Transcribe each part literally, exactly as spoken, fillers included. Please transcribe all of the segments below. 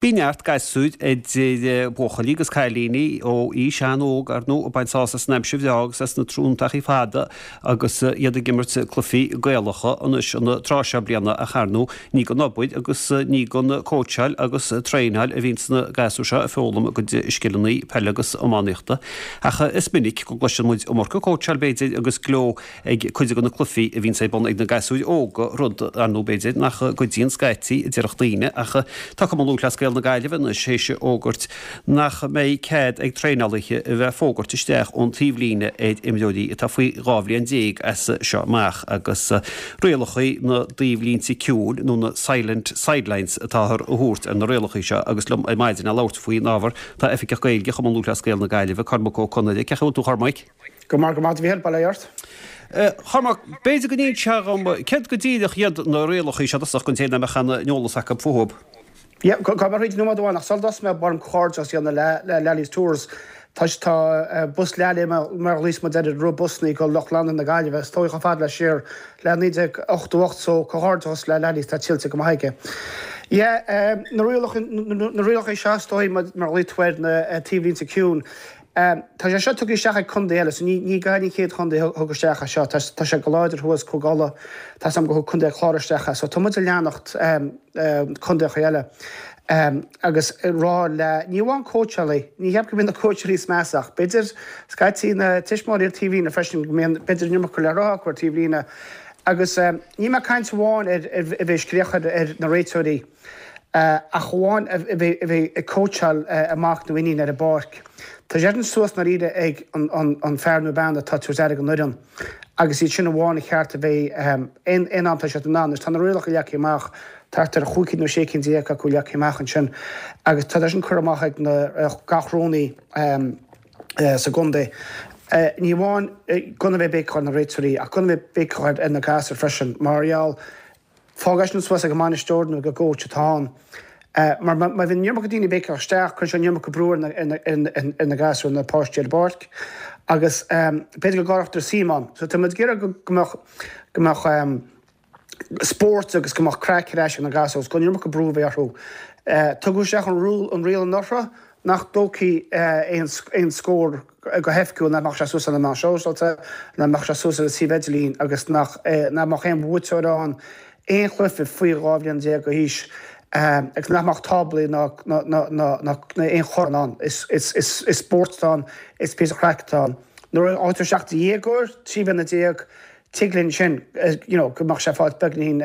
Bíonn neart gasúir idir buachaillí agus cailíní ó aois an-óg ar ndóigh ag baint sásamh as an aimsir bhreá agus as na tráthnóntachaí fada agus iad ag imirt cluichí Gaelacha anois an tráth seo bliana ach ar ndóigh ní gan obair agus ní gan cóitseáil agus traenáil a bhíonns na gasúir seo ag foghlaim a gcuid scileanna peile agus iománaíochta. Ach is minic go gcloiseann muid iomarca cóitseáil b'fhéidir agus gleo ag cuid de na cluichí a bhíonns ar bun ag na gasúir óga, rud, ar ndóigh, b'fhéidir, nach gcuidíonn scaití, a déarfadh daoine, ach tá Cumann Lúthchleas Gael na Gaillimhe anois théis a fhógairt nach mbeidh cead ag traenálaithe a bheith ag fógairt isteach ón taobhlíne ar imreoirí atá faoi dhá bhliain déag as seo amach agus rialacha na dtaobhlínte ciúin nó na silent sidelines atáthar a thabhairt ar na rialacha seo agus liom ar maidin le labhairt faoin ábhar tá Oifigeach Gaeilge Chumann Lúthchleas Gael na Gaillimhe, Cormac Ó Conaire. Cén chaoi a bhfuil tú, a Chormaic? Go maith, go maith, a Mhíchíl, bail ó Dhia ort. A Chormaic, b'fhéidir go n-inseofá dhom céard go díreach iad na rialacha seo i dtosach don té nach mbeadh aon eolas acu fúthu. Yeah, gabh mo thríd nóiméad amháin ach sula dtosóidh mé ba mhaith liom comhghairdeas a dhéanamh le le Lally's Tours. Tá tá bus Lally mar a ghlaos muid air ag rith busanna go lucht leanúna na Gaillimhe is dóigh chomh fada le siar le naoi déag ochtó ocht so comhghairdeas le Lally's tá tuillte go maith aige. Yeah, na rialacha na rialacha seo is dóigh mar a ghlaoigh tú air na taobhlínte ciúin. Tá sé seo tugtha isteach ag contae eile, so ní ní Gaillimh an chéad chontae a thug isteach é seo. Tá tá sé go láidir thuas Cúige Uladh, tá 's agam gur thug Contae an Chláir isteach é. So tá muid ag leanacht contaetha eile agus ag rá le, ní amháin cóitseálaí, ní cheapaim go mbíonn na cóitseálaí is measa ach b'fhéidir scaití na tuismitheoirí ar taobhlíne freisin go mbíonn b'fhéidir an iomarca le rá acu ar taobhlíne. Agus níl mé ag caint amháin ar a bheith ag scréachach ar na réiteoirí ach amháin a bheith ag cóitseáil a mac nó iníon ar an bpáirc. Tá sé sin suas ndáiríre ag an fear nó bean atá ag tabhairt aire don fhoireann agus iad sin amháin a cheart a bheith aon am tá siad in ann. Tá na rialacha leagtha amach, thart ar chúig cinn nó sé cinn déag acu leagtha amach ansin agus tá sin curtha amach ag gach rúnaí sa gcontae. Ní amháin gan a bheith béiceach ar na réiteoirí ach gan a bheith béiceach ar na gasúir freisin mar gheall fág é sin suas ag an mbainisteoir nó ag an gcóits atá ann. Mar má bhíonn an iomarca daoine ag béiceach isteach, cuireann sé an iomarca brú ar na gasúir, na páistí ar an bpáirc agus b'fhéidir go gcailltear suim ann. So tá muid ag iarraidh go mbeadh go mbeadh spórt agus go mbeadh craic ar ais ag na gasúir agus gan an iomarca brú a bheith orthu. Tugadh isteach an riail anuraidh nach dtógfaí aon scór go hoifigiúil, nach mbeadh sé suas ar na meáin shóisialta, nach mbeadh sé suas ar an suíomh idirlín agus nach mbeadh aon bhuaiteoir ann aon chluiche faoi dhá bhliain déag d'aois agus nach mbeadh táblaí ná aon chorn ann. Is spórt atá ann, is píosa craic atá ann. Nuair a fhágtar isteach do dhéagóir, trí bliana déag, tig linn sin, you know, go mbeadh sé fáilt beagnín,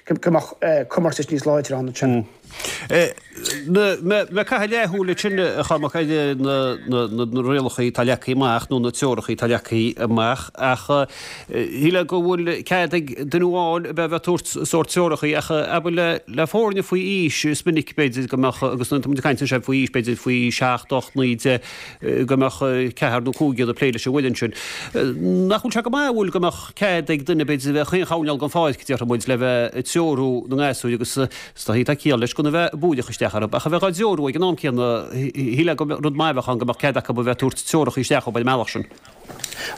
go mbeadh comórtas níos láidre ann ansin. Mé ag caitheamh leathshúil ansin, a Chormaic, ar na rialacha atá leagtha amach nó na treoracha atá leagtha amach ach shílfeá go bhfuil cead ag duine amháin a bheith ag tabhairt sórt treoracha ach abair le foirne faoi aois is minic b'fhéidir go mbeadh, agus nuair atá muid ag caint anseo faoi aois b'fhéidir faoi seacht, ocht, naoi, deich, go mbeadh ceathrar nó cúigear ag plé leis an bhfoireann sin. Nach bhfuil sé go maith, an bhfuil, go mbeadh cead ag duine, b'fhéidir, a bheith chaon choirnéal den pháirc, déarfaidh muid, le bheith ag treorú na ngasúir agus is dóigh tá ciall leis gan a bheith ag búireach isteach orthu, ach a bheith á dtreorú ag an am céanna, shílfeá gur rud maith a bheadh ann go mbeadh cead acu a bheith ag tabhairt treoracha isteach ar an mbealach sin.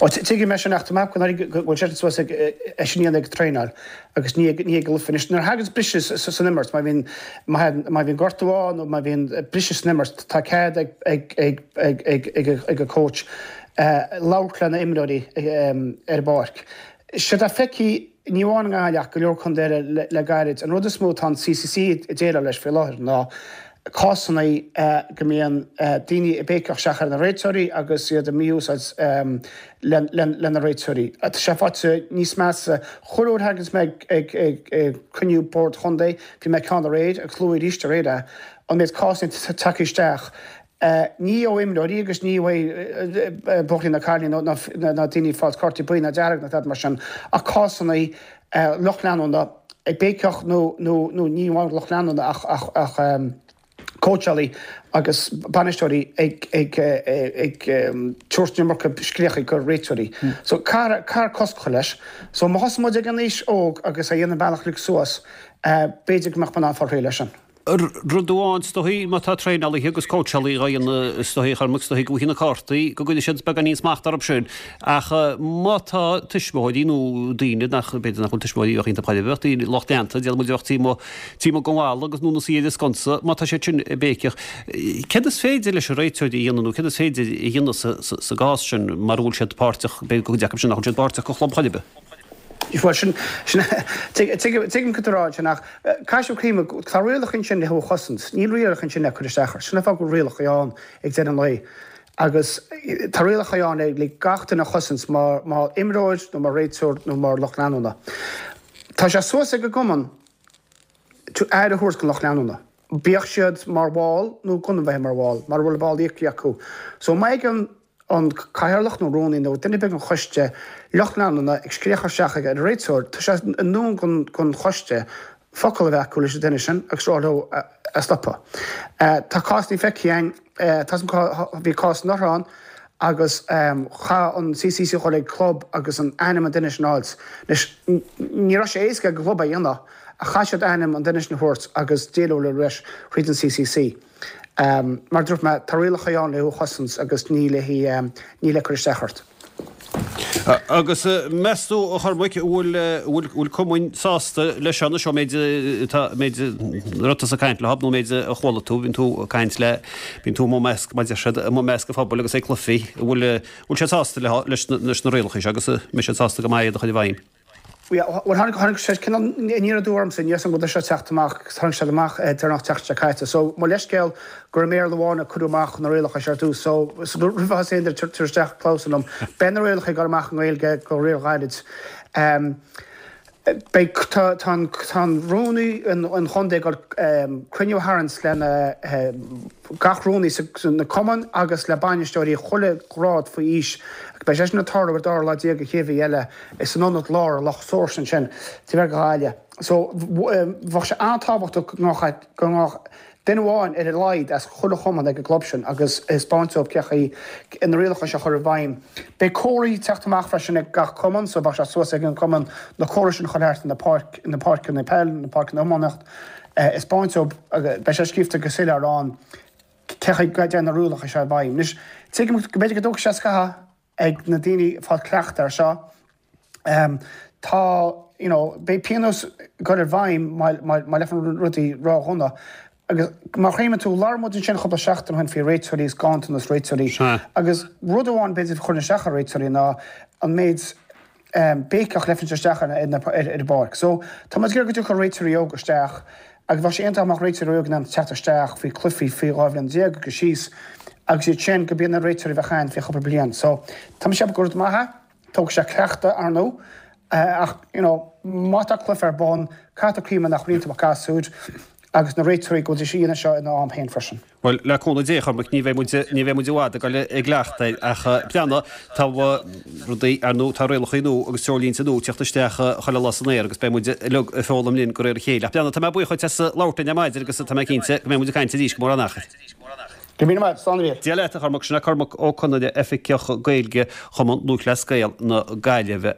Ó, tuigim é sin ach tá mé go bhfuil sé suas ag é sin a dhéanamh ag traenáil agus ní ag ní ag an gcluiche. Anois, nuair a thaganns briseadh san imirt, má bhíonn má bhíonn gortú ann nó má bhíonn briseadh san imirt, tá cead ag ag ag ag ag ag ag an coach labhairt lena imreoirí ar an bpáirc. Séard atá feicthe ní amháin i nGaillimh ach go leor contae eile le gairid, an rud is mó atá an CCC ag déileáil leis faoi láthair ná cásanna go mbíonn daoine ag béiceach isteach ar na réiteoirí agus iad ag mí-úsáid le na réiteoirí. Tá sé faighte níos measa. Chuile uair a thaganns mé ag cruinniú Bord Chontae, bhí mé ceann aréir agus luadh arís aréir é, an méid cásanna atá tagtha isteach, ní ó imreoirí agus ní ó buachaillí ná cailíní ná daoine ag fáilt cártaí buí ná dearg ná tada mar sin, ach cásanna lucht leanúna ag béiceach nó nó ní amháin lucht leanúna ach ach ach cóitseálaí agus bainisteoirí ag ag ag tabhairt an iomarca scréachaí go réiteoirí. So caithfear caithfear cosc a chur leis. So má thosaíonn muid ag an aois óg agus a dhéanamh bealach uilig suas, b'fhéidir go mbeadh muid in ann fáil réidh leis sin. Rud amháin is dóichí, má tá traenálaithe agus cóitseálaithe á dhéanamh is dóichí, a Chormaic, is dóichí go bhfaighidh na cártaí, go gcuirfidh siad beagáinín smacht orthu sin. Ach má tá tuismitheoirí nó daoine nach, b'fhéidir nach bhfuil tuismitheoirí a bheadh iontach chóir a bheith, daoine, lucht leanta, déarfaidh muid a bheadh taobh amuigh, taobh amuigh den bhalla agus nó ina suí ar an sconsa, má tá siad sin ag béiceach, céard is féidir leis an réiteoir a dhéanamh nó céard is féidir a dhéanamh sa gcás sin mara bhfuil siad páirteach, b'fhéidir go gcuid acu sin nach bhfuil siad páirteach go chlub chor ar bith? Bhuel, sin, sin, tuigim cad tá tú a rá ansin ach caithfidh sibh cuimhneamh, tá rialacha ansin le thú a chosaint, níl rialacha ansin le cur isteach ort. Sin an fáth go bhfuil rialacha ann ag deireadh an lae. Agus tá rialacha ann le gach duine a chosaint mar, mar imreoir nó mar réiteoir nó mar lucht leanúna. Tá sé suas ag an gcumann to aire a thabhairt don lucht leanúna. Bíodh siad mar bhall nó gan a bheith mar bhall, mara bhfuil ball íoctha acu. So má fhaigheann an cathaoirleach nó rúnaí nó duine ar bith den choiste lucht leanúna ag scréachadh isteach ag an réiteoir, tá sé i ndún don choiste focal a bheith acu leis an duine sin agus rá leo a stopadh. Tá cásanna feicthe againn, bhí cás anuraidh ann agus chaith an C C C dhul ag club agus an ainm an duine sin a fháilt. Anois, ní raibh sé éasca ag an gclub é a dhéanamh ach chaith siad ainm an duine sin a thabhairt agus déileáil leis thríd an C C C. Mar a dúirt mé, tá rialacha ann le thú a chosaint agus ní le ní le cur isteach ort. Agus meas tú, a Chormaic, bhfuil bhfuil cumainn sásta leis seo anois, méid tá méid raibh tusa ag caint leo nó méid a chuala tú, bíonn tú ag caint le bíonn tú amuigh i measc, mar a deir siad, amuigh i measc an phobail agus ag cluichí, bhfuil bhfuil siad sásta le leis leis na rialacha seo agus mbeidh siad sásta go maith iad a chur i bhfeidhm? Bhuel, tháinig, tháinig sé cineál aniar aduaidh ormsa, níl a fhios agam go bhfuil sé ag teacht amach, tháinig sé amach deireanach an tseachtain seo caite. So, mo leithscéal gur i mBéarla amháin a cuireadh amach na rialacha seo ar dtús. So, roimh a thosaíonn duine ag tabhairt isteach clamhsán liom, beidh na rialacha ag dul amach i nGaeilge go ríghairid. Beidh, tá, tá an, tá an rúnaí an, an chontae ag dul cruinniú a tharraingt lena gach rúnaí sa, na cumainn agus le bainisteoirí chuile ghrád faoi aois. Beidh sé sin ag tarlú ar dara lá déag de chéad mhí eile san ionad lár i Loch Seoirse ansin, taobh thiar de Ghaillimh. So, bheadh sé an-tábhachtach go mbeadh go mbeadh duine amháin ar a laghad as chuile chumann ag an gclub sin agus thaispeáint dóibh cé chaoi na rialacha seo a chur i bhfeidhm. Beidh comharthaí ag teacht amach freisin ag gach cumann, so bheadh sé suas ag an cumann na comharthaí sin a chur thart na páirc na páirceanna peil, na páirceanna iománaíocht, thaispeáint dóibh, beidh sé scríofa go soiléir ann cé chaoi go dtéann na rialacha seo i bhfeidhm. Anois, tuigim go mb'fhéidir go dtógfaidh sé scaitheamh ag na daoine fáil cleachtadh air seo. Tá, you know, beidh pionós ag dul i bhfeidhm má má leanann rudaí ródhona. Agus má chuimhníonn tú, labhair muid ansin cúpla seachtain ó shin faoi réiteoirí agus ganntanas réiteoirí. Agus rud amháin b'fhéidir a chuireann isteach ar réiteoirí ná an méid béiceach a leifeann isteach ar an bpáirc. So tá muid ag iarraidh go dtiocfadh réiteoirí óga isteach agus bheadh sé iontach dá mbeadh réiteoirí óga in ann teacht isteach faoi chluichí faoi dhá bhliain déag agus síos agus iad sin go b'iad na réiteoirí a bheadh ann faoi chúpla bliain. So tá mé ag ceapadh gur rud maith é, tógfaidh sé cleachtadh ar ndóigh ach you know má tá cluiche ar bun, caithfidh tú cuimhneamh nach bhfuil iontu ach gasúir agus na réiteoirí go bhfuil siad ina seo ina am féin freisin. Bhuel, le cúnamh Dé, a Chormaic, ní bheidh muid, ní bheidh muid i bhfad ag dul ag cleachtadh air, ach breathnaigh, tá rudaí, ar ndóigh, tá rialacha nua agus treoirlínte nua ag teacht isteach chuile lá san aer agus beidh muid uilig ag foghlaim linn de réir a chéile. Ach breathnaigh, tá mé buíoch dhuit as labhairt linn ar maidin agus tá mé cinnte go mbeidh muid ag caint arís go mór an achar. Go raibh míle maith, slán arís. Dia leat, a Chormaic, sin é Cormac Ó Conaire, Oifigeach Gaeilge Chumann Lúthchleas Gael na Gaillimhe.